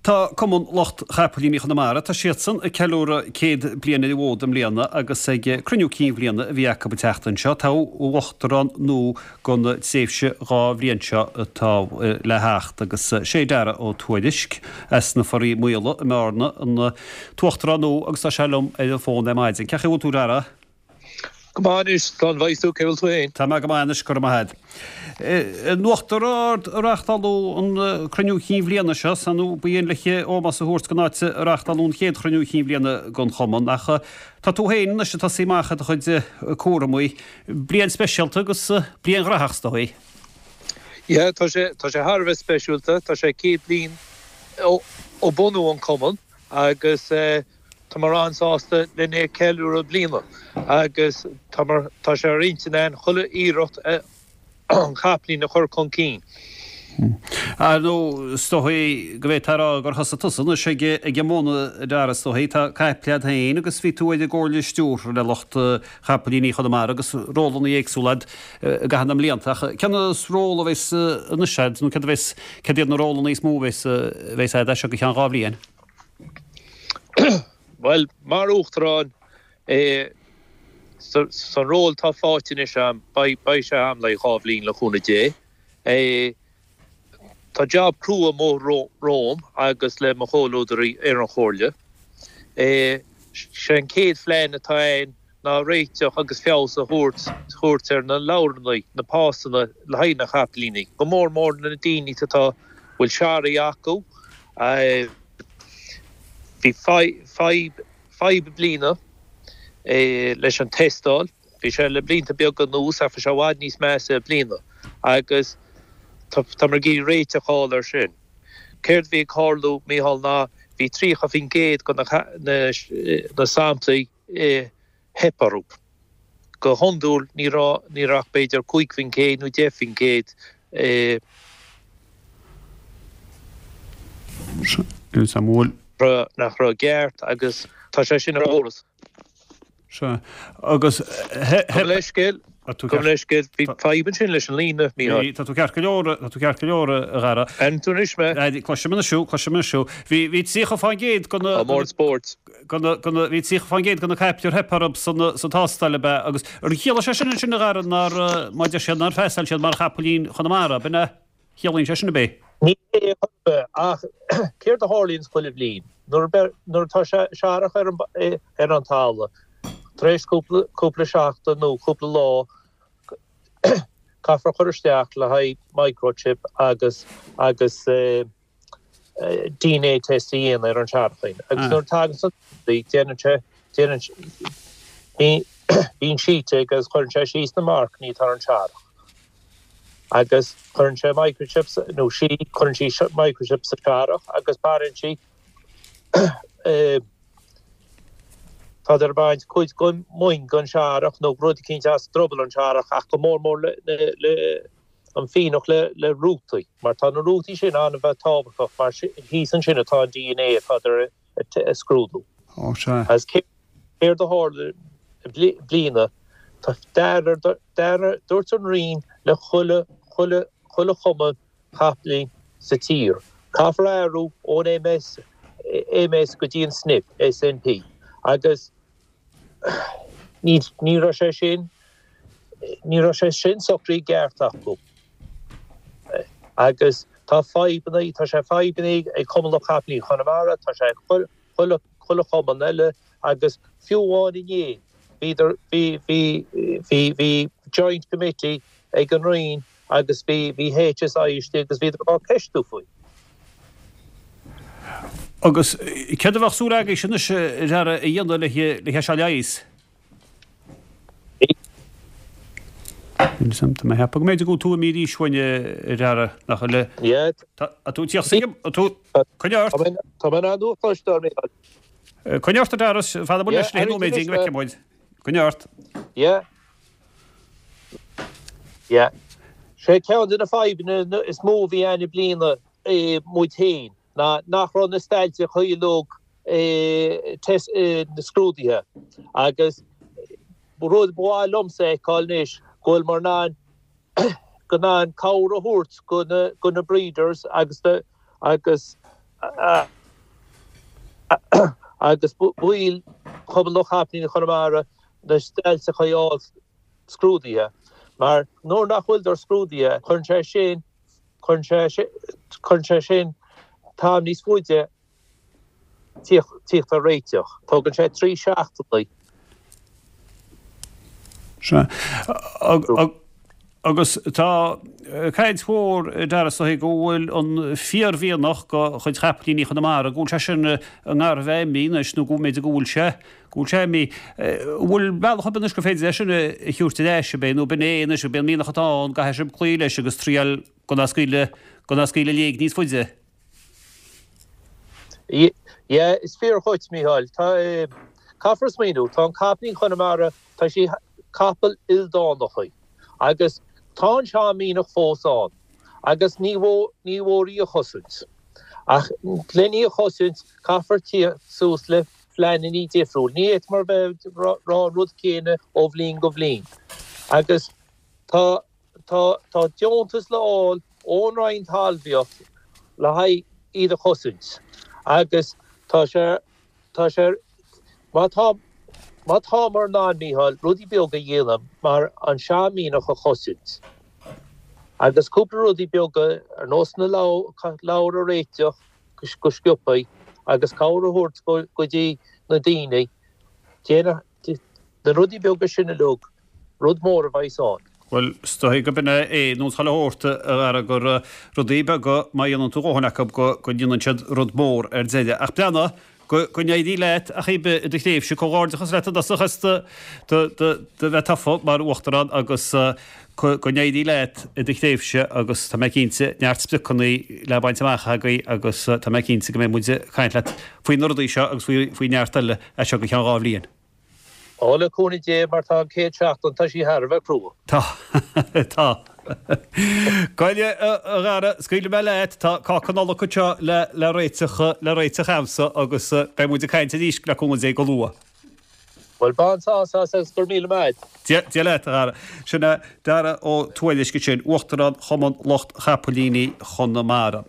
Tá Cumann Lucht Chapaillíní Chonamara, tá siadsan ag ceiliúradh 100 bliain ar an bhfód i mbliana agus ag cruinniú cinn bhliana a bhí acu an tseachtain seo, toghadh uachtarán nua don tréimhse 2 bhliain seo atá le theacht agus sé Dara Ó Tuairisg as na Foraí Maola i mBearna an t-uachtarán nua agus tá sé liom ar an bhfón ar maidin. Cén chaoi a bhfuil tú Dara? Go maith anois, slán bheidh tú, cé bhfuil tú fhéin? Tá mé go maith anois, go raibh maith agat. In Uachtar Ard a reáchtáladh an cruinniú cinn bhliana seo, 's ar ndóigh ba dhein le ómós a thabhairt don áit a reáchtáladh an chéad chruinniú cinn bhliana den chumann, ach tá tú féin anois ag tosaí amach ar do chuid cúramaí. Bliain speisialta agus bliain ghnóthach is dóigh. Yeah, tá sé, tá sé thar a bheith speisialta, tá sé 100 bliain ó bunú an cumann agus eh, Táimid an-sásta lena é ceiliúradh i mbliana agus tá sé ar intinn againn chuile iarracht an capaillín a chur chun cinn. Ar ndóigh, is dóigh go bhféadfá a rá gur thosaigh tusa anois ag an mbun, a Dhara, is dóigh. Tá caiple agat féin agus bhí tú ar an gComhairle Stiúrtha le lucht Chapaillíní Chonamara agus rólanna éagsúla agat i gcaitheamh na mblianta. Ach cén ról a bheas anois agat nó céard a bheas, céard iad na rólanna is mó a bheas agat as seo go ceann 2 bhliain? Bhuel, mar Uachtarán, san ról atá faighte anois a'm, beidh sé a'm le haghaidh 2 bhliain le cúnamh Dé. Tá jab crua amuigh romham agus le mo chomhluadairí ar an chomhairle. Sé an chéad phlean atá a'inn ná réiteach agus feabhas a thabhairt ar na leabhrannaí, na pasanna le haghaidh na chapaillíní, go mór mór na daoine atá, bhfuil searraigh acu. Bhí fadhb i mbliana leis an tástáil. Bhí sé le blianta beaga anuas ach bhí sé i bhfad níos measa i mbliana agus táimid ag iarraidh réiteach a fháil air sin. Céard a bhí ag tarlú, Mícheál, ná bhí 30% de na samplaí theip orthu. Go hiondúil ní raibh, ní raibh ach b'fhéidir 5% nó 10%. nach raibh i gceart agus tá sé sin ar eolas. Sea, agus theip. Gabh mo leithscéal, gabh mo leithscéal, bhí fadhb ansin leis an líne, Mícheál. Tá tú ceart go leor, tá tú ceart go leor, a Dhara. An tú anois mé? Cloisim anois thú, cloisim anois thú. Bhí, bhí 30% de na. Tá mór spóirt. De na, de na, bhí 30% de na caiple ar theip orthu san, sa tástáil ab ea? Agus ar chiallaigh sé sin ansin, a Dhara, nár, má deir siad nár phasáil siad mar chapaillín Chonamara, ab in é? Chiallaíonn sé sin ab é? Ní hé chor ar bith, ach céard a tharlaíonns chuile bhliain? Nuair nuair atá searrach ar an ar an talamh, tar éis cúpla cúpla seachtain nó cúpla lá, caithfear cur isteach le haghaidh microchip agus agus DNA test a dhéanamh ar an searrachín. Agus nuair a tagann san déanann sé déanann bíonn sheet aige agus cuireann sé síos na marcannaí atá ar an searrach. Agus cuireann sé microchip nó sí, cuireann sí microchip sa searrach agus baineann sí Tádar ag baint cuid den mhuin den searrach nó rud eicínt as druball an searrach ach go mór mór le le an fíonach le le rútaí mar tá na rútaí sin an-bheith tábhachtach mar thíos ansin atá an DNA atádar a scrúdú. Ó sea. Agus céard a tharla i mbliana, tá deartha, dúirt an Roinn le chuile, chuile, chuile chumann capaillín sa tír, caithfear athrú ón MS, MS go dtí an SNP, SNP, agus ní, ní raibh sé sin, ní raibh sé sin socraithe i gceart acu. Agus tá fadhbanna, tá sé fadhbanna ag Cumann Lucht Capaillíní Chonamara, tá sé ag chuile, chuile chumann eile agus fiú amháin inné bhíodar, bhí, bhí, bhí, bhí joint committee ag an Roinn agus bhí, bhí HSI istigh agus bhíodar á ceistiú faoi. Agus céard a bheadh súil agaibhse anois, a Dhara, a dhéanamh le hé seo a leigheas? Tá mé ag ceapadh go mb'fhéidir go bhfuil tú imithe arís uainn, a Dhara, nach bhfuil? Yeah. Tá tú ag tíocht chuige, tá tú, coinnigh ort. Tá mé in ann thú a chloisteáil, Mícheál. Coinnigh ort, a Dhara, fan amuigh leis le nóiméidín go bhfeicfidh muid. Coinnigh ort. Yeah. Yeah. Sé ceann de na fadhbanna is mó a bhí ann i mbliana muid féin ná nach raibh na stailteacha uilig na scrúdaithe agus rud ba mhaith liomsa a fheiceáil anois go bhfuil muid in ann go in ann cabhair a thabhairt go na go na breeders agus agus. agus baill Chumann Lucht Chapaillíní Chonamara na stailteacha a fháil scrúdaithe mar nuair nach bhfuileadar scrúdaithe cuireann sé sin cuireann sé cuireann sé sin t-am níos faide tíocht ar réiteach. Tógann sé 3 seachtainí. Sea. Agus tá caint mhór, a Dara, is dóigh go bhfuil an fíormhianach de chuid chapaillíní Chonamara, go bhfuil sé sin i ngar a bheith imithe anois nó go mb'fhéidir go bhfuil sé, go bhfuil sé imithe. An bhfuil bealach ar bith anois gur féidir é sin a thabhairt ar ais, ab é, nó b'in é anois, ab é an mianach atá ann, go gcaithfidh sibh cloí leis agus triail gan é a scaoileadh, gan é a scaoileadh i léig níos faide? Yeah, is fíor dhuit, Mícheál. Tá, caithfear smaoineamh, tá an capaillín Chonamara, tá sí, capall ildánach í. Agus tá an sean-mhianach fós ann. Agus ní mhór, ní mhór í a chosaint. Ach len í a chosaint, caithfear tíocht suas le pleanannaí difriúil. Ní fhéadfamar bheith ag rá an rud céanna ó bhliain go bhliain. Agus tá. Tá tá deontas le fháil ón Roinn Talmhaíocht le haghaidh iad a chosaint agus tá sé tá sé má tá má támar in ann, Mícheál, rudaí beaga a dhéanamh mar an sean-mhianach a chosaint agus cúpla rudaí beaga ar nós na leabhar a réiteach go sciobthaí agus cabhair a thabhairt go go dtí na daoine déanamh na rudaí beaga sin uilig Rud mór a bheas ann. Bhuel, is dóigh go b'in é nós chuile shórt, a Dhara, gur rudaí beaga, má dhéanann tú dhóthain acu, go ndéanann siad rud mór ar deireadh. Ach breathnaigh, go n-éirí leat ach ar bith i do thréimhse. Comhghairdeachas leat i dtosach as do bheith tofa mar Uachtarán agus go n-éirí leat i do thréimhse agus tá mé cinnte, neart spriocanna le baint amach agaibh agus tá mé cinnte go mbeidh muid ag caint leat faoi na rudaí seo agus faoi neart eile as seo go ceann 2 bhliain. Ó, le cúnamh Dé, mar tá an chéad seachtain, tá sí thar a bheith crua. Tá. Tá. Gabh i leith, a Dhara, scaoilfidh mé leat, tá cáca Nollag anseo le, le réiteach, le réiteach a'msa agus beidh muid ag caint arís le cúnamh Dé go luath. Bhuel, bain sásamh as agus go raibh míle maith a'd. Dia, Dia leat, a Dhara. Sin é Dara Ó Tuairisg ansin, Uachtarán Chumann Lucht Chapaillíní Chonamara.